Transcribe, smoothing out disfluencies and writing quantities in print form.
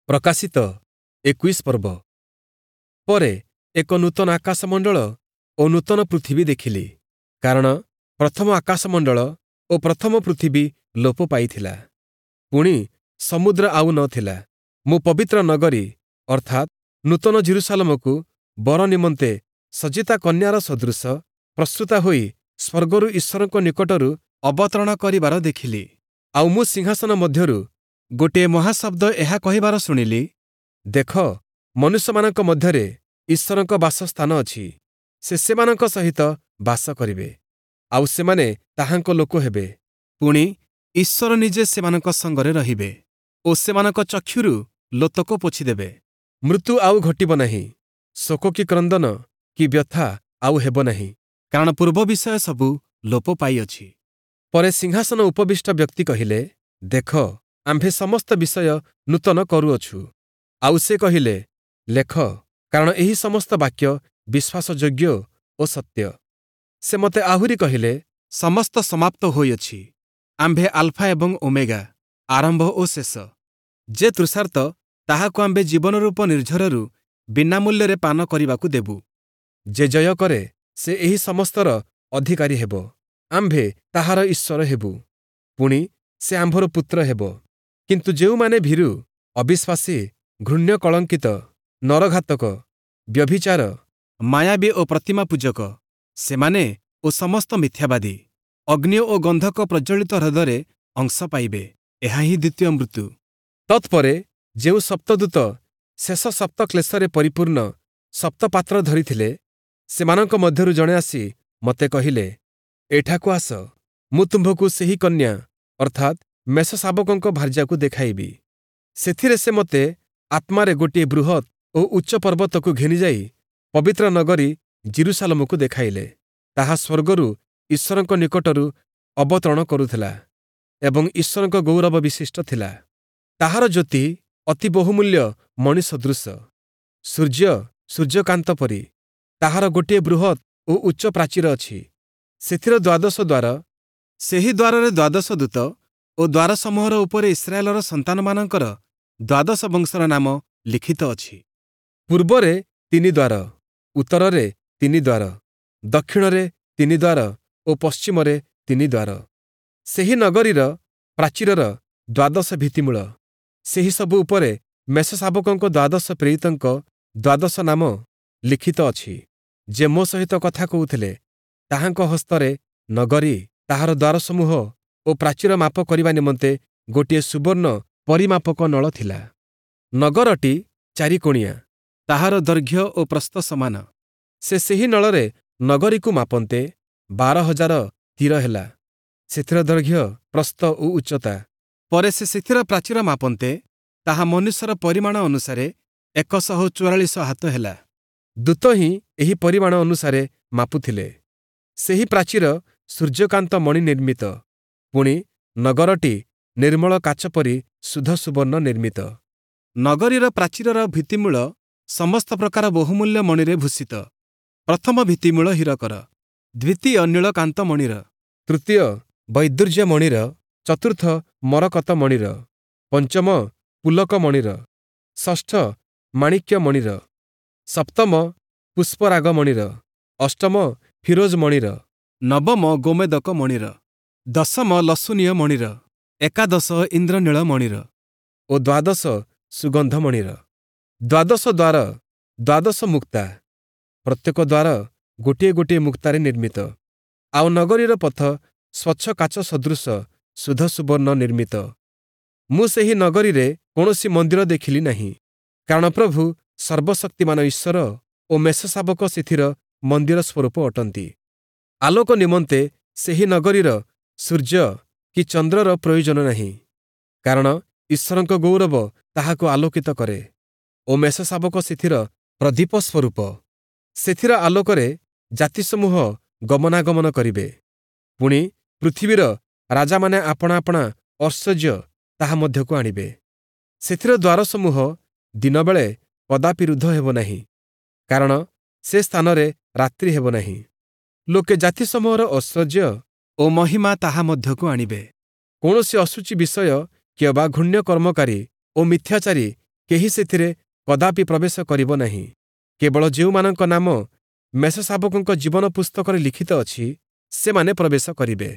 ପ୍ରକାଶିତ 21 ପର୍ବ। ପରେ ଏକ ନୂତନ ଆକାଶମଣ୍ଡଳ ଓ ନୂତନ ପୃଥିବୀ ଦେଖିଲି, କାରଣ ପ୍ରଥମ ଆକାଶମଣ୍ଡଳ ଓ ପ୍ରଥମ ପୃଥିବୀ ଲୋପ ପାଇଥିଲା, ପୁଣି ସମୁଦ୍ର ଆଉ ନ ଥିଲା। ମୁଁ ପବିତ୍ର ନଗରୀ ଅର୍ଥାତ୍ ନୂତନ ଯିରୂଶାଲମକୁ ବର ନିମନ୍ତେ ସଜ୍ଜିତା କନ୍ୟାର ସଦୃଶ ପ୍ରସ୍ତୁତା ହୋଇ ସ୍ୱର୍ଗରୁ ଈଶ୍ୱରଙ୍କ ନିକଟରୁ ଅବତରଣ କରିବାର ଦେଖିଲି। ଆଉ ମୁଁ ସିଂହାସନ ମଧ୍ୟରୁ ଗୋଟିଏ ମହାଶବ୍ଦ ଏହା କହିବାର ଶୁଣିଲି, ଦେଖ, ମନୁଷ୍ୟମାନଙ୍କ ମଧ୍ୟରେ ଈଶ୍ୱରଙ୍କ ବାସସ୍ଥାନ ଅଛି। ସେ ସେମାନଙ୍କ ସହିତ ବାସ କରିବେ, ଆଉ ସେମାନେ ତାହାଙ୍କ ଲୋକ ହେବେ। ପୁଣି ଈଶ୍ୱର ନିଜେ ସେମାନଙ୍କ ସଙ୍ଗରେ ରହିବେ ଓ ସେମାନଙ୍କ ଚକ୍ଷୁରୁ ଲୋତକ ପୋଛିଦେବେ। ମୃତ୍ୟୁ ଆଉ ଘଟିବ ନାହିଁ, ଶୋକ କି କ୍ରନ୍ଦନ କି ବ୍ୟଥା ଆଉ ହେବ ନାହିଁ, କାରଣ ପୂର୍ବ ବିଷୟ ସବୁ ଲୋପ ପାଇଅଛି। ପରେ ସିଂହାସନ ଉପବିଷ୍ଟ ବ୍ୟକ୍ତି କହିଲେ, ଦେଖ, ଆମ୍ଭେ ସମସ୍ତ ବିଷୟ ନୂତନ କରୁଅଛୁ। ଆଉ ସେ କହିଲେ, ଲେଖ, କାରଣ ଏହି ସମସ୍ତ ବାକ୍ୟ ବିଶ୍ୱାସଯୋଗ୍ୟ ଓ ସତ୍ୟ। ସେ ମୋତେ ଆହୁରି କହିଲେ, ସମସ୍ତ ସମାପ୍ତ ହୋଇଅଛି। ଆମ୍ଭେ ଆଲଫା ଏବଂ ଓମେଗା, ଆରମ୍ଭ ଓ ଶେଷ। ଯେ ତୃଷାର୍ତ୍ତ, ତାହାକୁ ଆମ୍ଭେ ଜୀବନରୂପ ନିର୍ଝରରୁ ବିନା ମୂଲ୍ୟରେ ପାନ କରିବାକୁ ଦେବୁ। ଯେ ଜୟ କରେ, ସେ ଏହି ସମସ୍ତର ଅଧିକାରୀ ହେବ। ଆମ୍ଭେ ତାହାର ଈଶ୍ୱର ହେବୁ, ପୁଣି ସେ ଆମ୍ଭର ପୁତ୍ର ହେବ। କିନ୍ତୁ ଯେଉଁମାନେ ଭୀରୁ, ଅବିଶ୍ୱାସୀ, ଘୃଣ୍ୟ କଳଙ୍କିତ, ନରଘାତକ, ବ୍ୟଭିଚାର, ମାୟାବୀ ଓ ପ୍ରତିମା ପୂଜକ, ସେମାନେ ଓ ସମସ୍ତ ମିଥ୍ୟାବାଦୀ ଅଗ୍ନି ଓ ଗନ୍ଧକ ପ୍ରଜ୍ୱଳିତ ହ୍ରଦରେ ଅଂଶ ପାଇବେ। ଏହା ହିଁ ଦ୍ୱିତୀୟ ମୃତ୍ୟୁ। ତତ୍ପରେ ଯେଉଁ ସପ୍ତଦୂତ ଶେଷ ସପ୍ତ କ୍ଲେଶରେ ପରିପୂର୍ଣ୍ଣ ସପ୍ତପାତ୍ର ଧରିଥିଲେ, ସେମାନଙ୍କ ମଧ୍ୟରୁ ଜଣେ ଆସି ମୋତେ କହିଲେ, ଏଠାକୁ ଆସ, ମୁଁ ତୁମ୍ଭକୁ ସେହି କନ୍ୟା ଅର୍ଥାତ୍ ମେଷଶାବକଙ୍କ ଭାର୍ଯ୍ୟାକୁ ଦେଖାଇବି। ସେଥିରେ ସେ ମୋତେ ଆତ୍ମାରେ ଗୋଟିଏ ବୃହତ୍ ଓ ଉଚ୍ଚ ପର୍ବତକୁ ଘେନିଯାଇ ପବିତ୍ର ନଗରୀ ଯିରୂଶାଲମକୁ ଦେଖାଇଲେ। ତାହା ସ୍ୱର୍ଗରୁ ଈଶ୍ୱରଙ୍କ ନିକଟରୁ ଅବତରଣ କରୁଥିଲା ଏବଂ ଈଶ୍ୱରଙ୍କ ଗୌରବ ବିଶିଷ୍ଟ ଥିଲା। ତାହାର ଜ୍ୟୋତି ଅତି ବହୁମୂଲ୍ୟ ମଣି ସଦୃଶ, ସୂର୍ଯ୍ୟ ସୂର୍ଯ୍ୟକାନ୍ତ ପରି। ତାହାର ଗୋଟିଏ ବୃହତ୍ ଓ ଉଚ୍ଚ ପ୍ରାଚୀର ଅଛି। ସେଥିର ଦ୍ୱାଦଶ ଦ୍ୱାର, ସେହି ଦ୍ୱାରରେ ଦ୍ୱାଦଶ ଦୂତ ଓ ଦ୍ୱାରସମୂହର ଉପରେ ଇସ୍ରାଏଲର ସନ୍ତାନମାନଙ୍କର ଦ୍ୱାଦଶ ବଂଶର ନାମ ଲିଖିତ ଅଛି। ପୂର୍ବରେ ତିନି ଦ୍ୱାର, ଉତ୍ତରରେ ତିନି ଦ୍ୱାର, ଦକ୍ଷିଣରେ ତିନି ଦ୍ୱାର ଓ ପଶ୍ଚିମରେ ତିନି ଦ୍ୱାର। ସେହି ନଗରୀର ପ୍ରାଚୀରର ଦ୍ୱାଦଶ ଭିତ୍ତିମୂଳ, ସେହି ସବୁ ଉପରେ ମେଷଶାବକଙ୍କ ଦ୍ୱାଦଶ ପ୍ରେରିତଙ୍କ ଦ୍ୱାଦଶ ନାମ ଲିଖିତ ଅଛି। ଯେ ମୋ ସହିତ କଥା କହୁଥିଲେ, ତାହାଙ୍କ ହସ୍ତରେ ନଗରୀ, ତାହାର ଦ୍ୱାରସମୂହ ଓ ପ୍ରାଚୀର ମାପ କରିବା ନିମନ୍ତେ ଗୋଟିଏ ସୁବର୍ଣ୍ଣ ପରିମାପକ ନଳ ଥିଲା। ନଗରଟି ଚାରିକୋଣିଆ, ତାହାର ଦୈର୍ଘ୍ୟ ଓ ପ୍ରସ୍ଥ ସମାନ। ସେ ସେହି ନଳରେ ନଗରୀକୁ ମାପନ୍ତେ 12,000 ତୀର ହେଲା, ସେଥିର ଦୈର୍ଘ୍ୟ, ପ୍ରସ୍ଥ ଓ ଉଚ୍ଚତା। ପରେ ସେ ସେଥିର ପ୍ରାଚୀର ମାପନ୍ତେ ତାହା ମନୁଷ୍ୟର ପରିମାଣ ଅନୁସାରେ 144 ହାତ ହେଲା। ଦୂତ ହିଁ ଏହି ପରିମାଣ ଅନୁସାରେ ମାପୁଥିଲେ। ସେହି ପ୍ରାଚୀର ସୂର୍ଯ୍ୟକାନ୍ତ ମଣି ନିର୍ମିତ, ପୁଣି ନଗରଟି ନିର୍ମଳ କାଚ ପରି ଶୁଦ୍ଧ ସୁବର୍ଣ୍ଣ ନିର୍ମିତ। ନଗରୀର ପ୍ରାଚୀରର ଭିତ୍ତିମୂଳ ସମସ୍ତ ପ୍ରକାର ବହୁମୂଲ୍ୟ ମଣିରେ ଭୂଷିତ। ପ୍ରଥମ ଭିତ୍ତିମୂଳ ହୀରକର, ଦ୍ୱିତୀୟ ନୀଳକାନ୍ତ ମଣିର, ତୃତୀୟ ବୈଦୁର୍ଯ୍ୟ ମଣିର, ଚତୁର୍ଥ ମରକତ ମଣିର, ପଞ୍ଚମ ପୁଲକ ମଣିର, ଷଷ୍ଠ ମାଣିକ୍ୟ ମଣିର, ସପ୍ତମ ପୁଷ୍ପରାଗ ମଣିର, ଅଷ୍ଟମ ଫିରୋଜ ମଣିର, ନବମ ଗୋମେଦକ ମଣିର, ଦଶମ ଲସୁନୀୟ ମଣିର, ଏକାଦଶ ଇନ୍ଦ୍ରନୀଳ ମଣିର ଓ ଦ୍ୱାଦଶ ସୁଗନ୍ଧ ମଣିର। ଦ୍ୱାଦଶ ଦ୍ୱାର ଦ୍ୱାଦଶ ମୁକ୍ତା, ପ୍ରତ୍ୟେକ ଦ୍ୱାର ଗୋଟିଏ ଗୋଟିଏ ମୁକ୍ତାରେ ନିର୍ମିତ। ଆଉ ନଗରୀର ପଥ ସ୍ୱଚ୍ଛ କାଚ ସଦୃଶ ଶୁଦ୍ଧ ସୁବର୍ଣ୍ଣ ନିର୍ମିତ। ମୁଁ ସେହି ନଗରୀରେ କୌଣସି ମନ୍ଦିର ଦେଖିଲି ନାହିଁ, କାରଣ ପ୍ରଭୁ ସର୍ବଶକ୍ତିମାନ ଈଶ୍ୱର ଓ ମେଷଶାବକ ସେଥିର ମନ୍ଦିର ସ୍ୱରୂପ ଅଟନ୍ତି। ଆଲୋକ ନିମନ୍ତେ ସେହି ନଗରୀର ସୂର୍ଯ୍ୟ କି ଚନ୍ଦ୍ରର ପ୍ରୟୋଜନ ନାହିଁ, କାରଣ ଈଶ୍ୱରଙ୍କ ଗୌରବ ତାହାକୁ ଆଲୋକିତ କରେ ଓ ମେଷଶାବକ ସେଥିର ପ୍ରଦୀପ ସ୍ୱରୂପ। ସେଥିର ଆଲୋକରେ ଜାତିସମୂହ ଗମନାଗମନ କରିବେ, ପୁଣି ପୃଥିବୀର ରାଜାମାନେ ଆପଣା ଆପଣା ଐଶ୍ୱର୍ଯ୍ୟ ତାହା ମଧ୍ୟକୁ ଆଣିବେ। ସେଥିର ଦ୍ୱାରସମୂହ ଦିନବେଳେ କଦାପି ରୁଦ୍ଧ ହେବ ନାହିଁ, କାରଣ ସେ ସ୍ଥାନରେ ରାତ୍ରି ହେବ ନାହିଁ। ଲୋକେ ଜାତିସମୂହର ଐଶ୍ୱର୍ଯ୍ୟ ଓ ମହିମା ତାହା ମଧ୍ୟକୁ ଆଣିବେ। କୌଣସି ଅଶୁଚି ବିଷୟ କିମ୍ବା ଘୃଣ୍ୟ କର୍ମକାରୀ ଓ ମିଥ୍ୟାଚାରୀ କେହି ସେଥିରେ କଦାପି ପ୍ରବେଶ କରିବ ନାହିଁ। କେବଳ ଯେଉଁମାନଙ୍କ ନାମ ମେଷଶାବକଙ୍କ ଜୀବନ ପୁସ୍ତକରେ ଲିଖିତ ଅଛି, ସେମାନେ ପ୍ରବେଶ କରିବେ।